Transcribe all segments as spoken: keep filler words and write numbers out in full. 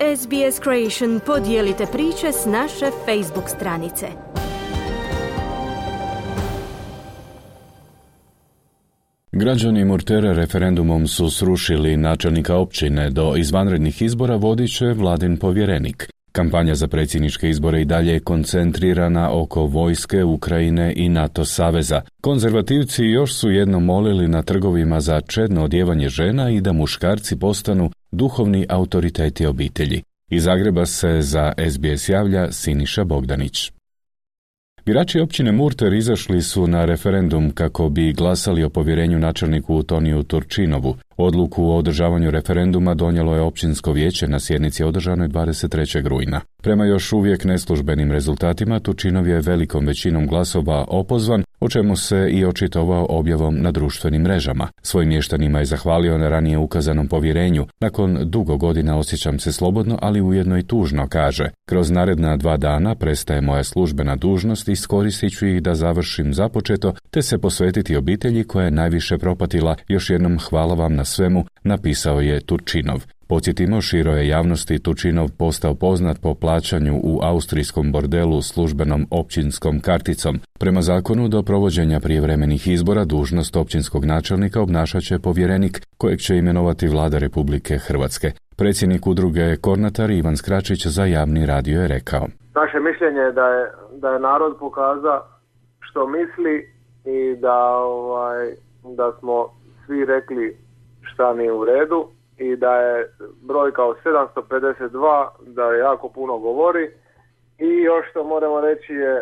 S B S Creation podijelite priče s naše Facebook stranice. Građani Murtere referendumom su srušili načelnika općine. Do izvanrednih izbora vodit će vladin povjerenik. Kampanja za predsjedničke izbore i dalje je koncentrirana oko vojske, Ukrajine i NATO saveza. Konzervativci još su jednom molili na trgovima za čedno odjevanje žena i da muškarci postanu duhovni autoriteti obitelji. Iz Zagreba se za S B S javlja Siniša Bogdanić. Birači općine Murter izašli su na referendum kako bi glasali o povjerenju načelniku Toniju Turčinovu. Odluku o održavanju referenduma donijelo je općinsko vijeće na sjednici održanoj dvadeset trećeg rujna. Prema još uvijek neslužbenim rezultatima, Turčinov je velikom većinom glasova opozvan, o čemu se i očitovao objavom na društvenim mrežama. Svojim mještanima je zahvalio na ranije ukazanom povjerenju. Nakon dugo godina osjećam se slobodno, ali ujedno i tužno, kaže. Kroz naredna dva dana prestaje moja službena dužnost i iskoristit ću ih da završim započeto, te se posvetiti obitelji koja je najviše propatila. Još jednom hvala vam na svemu, napisao je Turčinov. Podsjetimo, široj javnosti Turčinov postao poznat po plaćanju u austrijskom bordelu službenom općinskom karticom. Prema zakonu, do provođenja prijevremenih izbora dužnost općinskog načelnika obnašat će povjerenik kojeg će imenovati Vlada Republike Hrvatske. Predsjednik udruge Kornatar Ivan Skračić za javni radio je rekao: Naše mišljenje je da je, da je narod pokazao što misli i da, ovaj, da smo svi rekli šta nije u redu i da je brojka od sedamsto pedeset dva da je jako puno govori i još što moramo reći je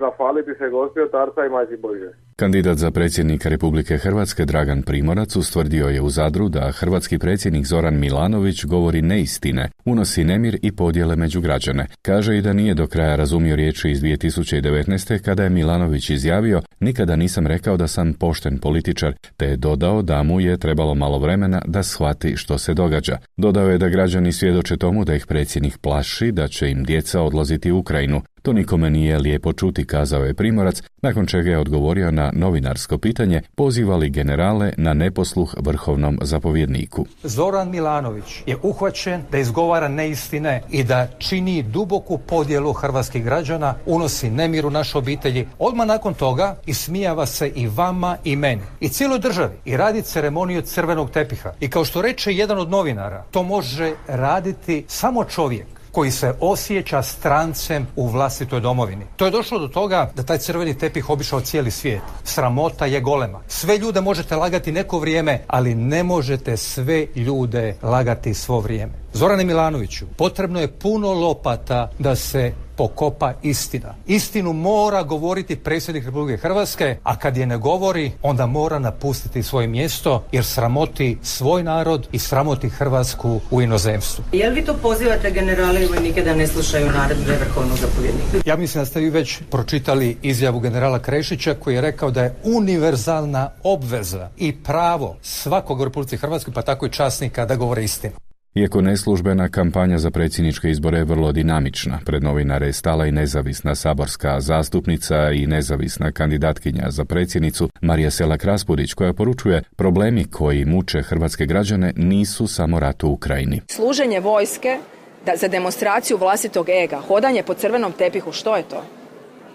zahvaliti se Gospi Otarca i Majci Božje. Kandidat za predsjednika Republike Hrvatske Dragan Primorac ustvrdio je u Zadru da hrvatski predsjednik Zoran Milanović govori neistine, unosi nemir i podjele među građane. Kaže i da nije do kraja razumio riječi iz dvije tisuće devetnaeste kada je Milanović izjavio: nikada nisam rekao da sam pošten političar, te je dodao da mu je trebalo malo vremena da shvati što se događa. Dodao je da građani svjedoče tomu da ih predsjednik plaši da će im djeca odlaziti u Ukrajinu. To nikome nije lijepo čuti, kazao je Primorac, nakon čega je odgovorio na novinarsko pitanje pozivali generale na neposluh vrhovnom zapovjedniku. Zoran Milanović je uhvaćen da izgovara neistine i da čini duboku podjelu hrvatskih građana, unosi nemir u naše obitelji. Odmah nakon toga ismijava se i vama i meni i cijeloj državi i radi ceremoniju crvenog tepiha. I kao što reče jedan od novinara, to može raditi samo čovjek koji se osjeća strancem u vlastitoj domovini. To je došlo do toga da taj crveni tepih obišao cijeli svijet. Sramota je golema. Sve ljude možete lagati neko vrijeme, ali ne možete sve ljude lagati svo vrijeme. Zorane Milanoviću, potrebno je puno lopata da se pokopa istina. Istinu mora govoriti predsjednik Republike Hrvatske, a kad je ne govori, onda mora napustiti svoje mjesto, jer sramoti svoj narod i sramoti Hrvatsku u inozemstvu. Je li vi to pozivate generale i vojnike da ne slušaju naredbe vrhovnog zapovjednika? Ja mislim da ste vi već pročitali izjavu generala Krešića koji je rekao da je univerzalna obveza i pravo svakog u Republici Hrvatskoj, pa tako i časnika, da govore istinu. Iako neslužbena kampanja za predsjedničke izbore je vrlo dinamična, pred novinare je stala i nezavisna saborska zastupnica i nezavisna kandidatkinja za predsjednicu Marija Selak-Raspudić, koja poručuje: problemi koji muče hrvatske građane nisu samo rat u Ukrajini. Služenje vojske da, za demonstraciju vlastitog ega, hodanje po crvenom tepihu, što je to?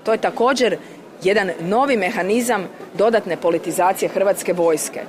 To je također jedan novi mehanizam dodatne politizacije hrvatske vojske.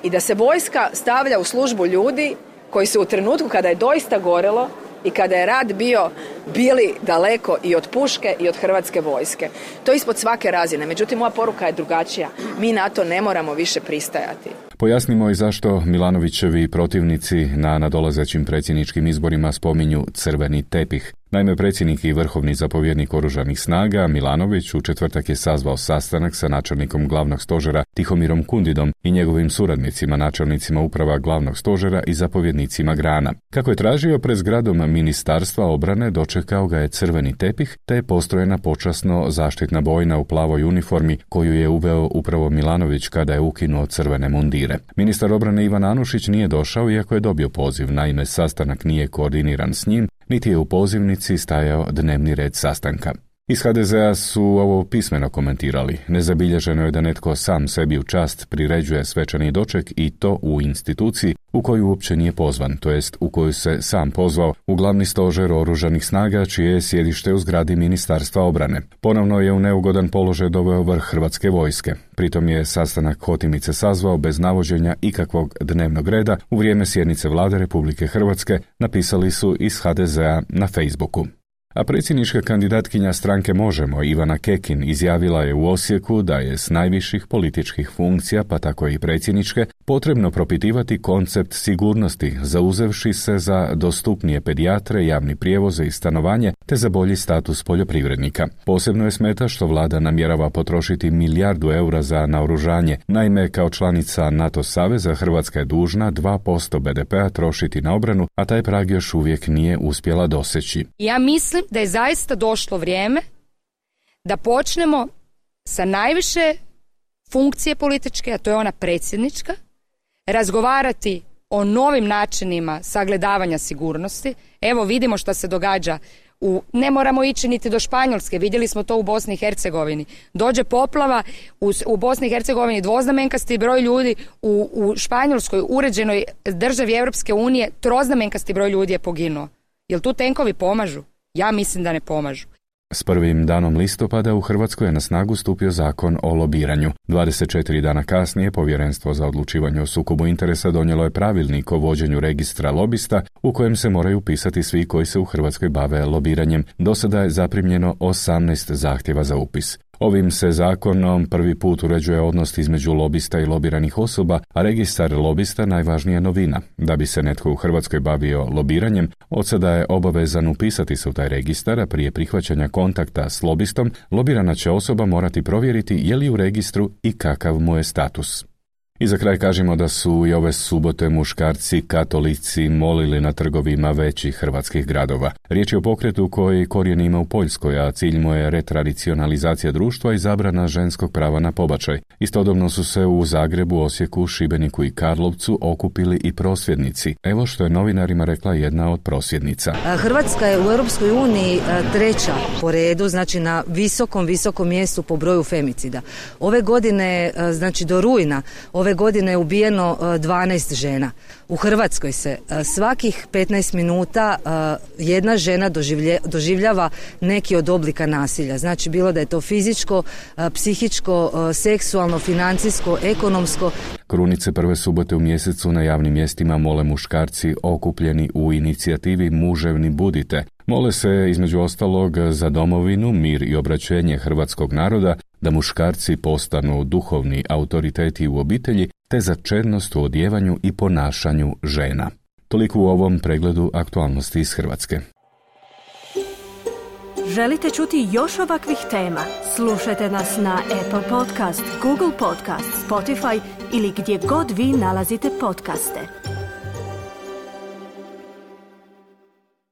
I da se vojska stavlja u službu ljudi koji su u trenutku kada je doista gorelo i kada je rat bio bili daleko i od puške i od hrvatske vojske. To je ispod svake razine. Međutim, moja poruka je drugačija. Mi na to ne moramo više pristajati. Pojasnimo i zašto Milanovićevi protivnici na nadolazećim predsjedničkim izborima spominju crveni tepih. Naime, predsjednik i vrhovni zapovjednik oružanih snaga Milanović u četvrtak je sazvao sastanak sa načelnikom glavnog stožera Tihomirom Kundidom i njegovim suradnicima, načelnicima uprava glavnog stožera i zapovjednicima grana. Kako je tražio, pred zgradom Ministarstva obrane dočekao ga je crveni tepih, te je postrojena počasno zaštitna bojna u plavoj uniformi koju je uveo upravo Milanović kada je ukinuo crvene mundire. Ministar obrane Ivan Anušić nije došao iako je dobio poziv, naime sastanak nije koordiniran s njim, niti je u pozivnici stajao dnevni red sastanka. Iz ha de zea su ovo pismeno komentirali. Nezabilježeno je da netko sam sebi u čast priređuje svečani doček i to u instituciji u koju uopće nije pozvan, to jest u koju se sam pozvao u glavni stožer oružanih snaga, čije je sjedište u zgradi Ministarstva obrane. Ponovno je u neugodan položaj doveo vrh Hrvatske vojske. Pritom je sastanak Hotimice sazvao bez navođenja ikakvog dnevnog reda u vrijeme sjednice Vlade Republike Hrvatske, napisali su iz ha de zea na Facebooku. A predsjednička kandidatkinja stranke Možemo, Ivana Kekin, izjavila je u Osijeku da je s najviših političkih funkcija, pa tako i predsjedničke, potrebno propitivati koncept sigurnosti, zauzevši se za dostupnije pedijatre, javni prijevoze i stanovanje, te za bolji status poljoprivrednika. Posebno je smeta što vlada namjerava potrošiti milijardu eura za naoružanje. Naime, kao članica NATO saveza, Hrvatska je dužna dva posto be de pea trošiti na obranu, a taj prag još uvijek nije uspjela doseći. Ja mislim da je zaista došlo vrijeme da počnemo sa najviše funkcije političke, a to je ona predsjednička, razgovarati o novim načinima sagledavanja sigurnosti. Evo vidimo što se događa. U, ne moramo ići niti do Španjolske, vidjeli smo to u Bosni i Hercegovini. Dođe poplava, u, u Bosni i Hercegovini dvoznamenkasti broj ljudi, u, u Španjolskoj uređenoj državi Europske unije troznamenkasti broj ljudi je poginuo. Jel tu tenkovi pomažu? Ja mislim da ne pomažu. S prvim danom listopada u Hrvatskoj je na snagu stupio zakon o lobiranju. dvadeset četiri dana kasnije Povjerenstvo za odlučivanje o sukobu interesa donijelo je pravilnik o vođenju registra lobista u kojem se moraju upisati svi koji se u Hrvatskoj bave lobiranjem. Do sada je zaprimljeno osamnaest zahtjeva za upis. Ovim se zakonom prvi put uređuje odnos između lobista i lobiranih osoba, a registar lobista najvažnija novina. Da bi se netko u Hrvatskoj bavio lobiranjem, od sada je obavezan upisati se u taj registar, a prije prihvaćanja kontakta s lobistom, lobirana će osoba morati provjeriti je li u registru i kakav mu je status. I za kraj kažemo da su i ove subote muškarci katolici molili na trgovima većih hrvatskih gradova. Riječ je o pokretu koji korijen ima u Poljskoj, a cilj mu je retradicionalizacija društva i zabrana ženskog prava na pobačaj. Istodobno su se u Zagrebu, Osijeku, Šibeniku i Karlovcu okupili i prosvjednici. Evo što je novinarima rekla jedna od prosvjednica. Hrvatska je u Europskoj uniji treća po redu, znači na visokom, visokom mjestu po broju femicida. Ove godine, znači do rujna, ove godine je ubijeno dvanaest žena. U Hrvatskoj se svakih petnaest minuta jedna žena doživljava neki od oblika nasilja. Znači bilo da je to fizičko, psihičko, seksualno, financijsko, ekonomsko. Krunice prve subote u mjesecu na javnim mjestima mole muškarci okupljeni u inicijativi Muževni budite. Mole se između ostalog za domovinu, mir i obraćenje hrvatskog naroda, da muškarci postanu duhovni autoriteti u obitelji, te za čednost u odjevanju i ponašanju žena. Toliko u ovom pregledu aktualnosti iz Hrvatske. Želite čuti još ovakvih tema? Slušajte nas na Apple Podcast, Google Podcast, Spotify ili gdje god vi nalazite podcaste.